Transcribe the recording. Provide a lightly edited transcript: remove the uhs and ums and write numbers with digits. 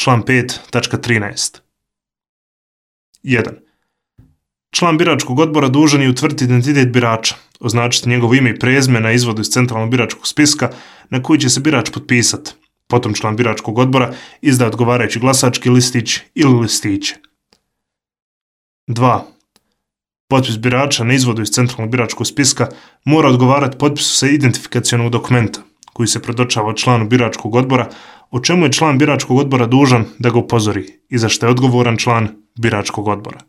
Član 5.13. 1. Član biračkog odbora dužan je utvrditi identitet birača, označiti njegovo ime i prezime na izvodu iz centralnog biračkog spiska na koji će se birač potpisati. Potom član biračkog odbora izda odgovarajući glasački listić ili listiće. 2. Potpis birača na izvodu iz centralnog biračkog spiska mora odgovarati potpisu sa identifikacionog dokumenta koji se predočava od članu biračkog odbora, o čemu je član biračkog odbora dužan da ga upozori i za što je odgovoran član biračkog odbora.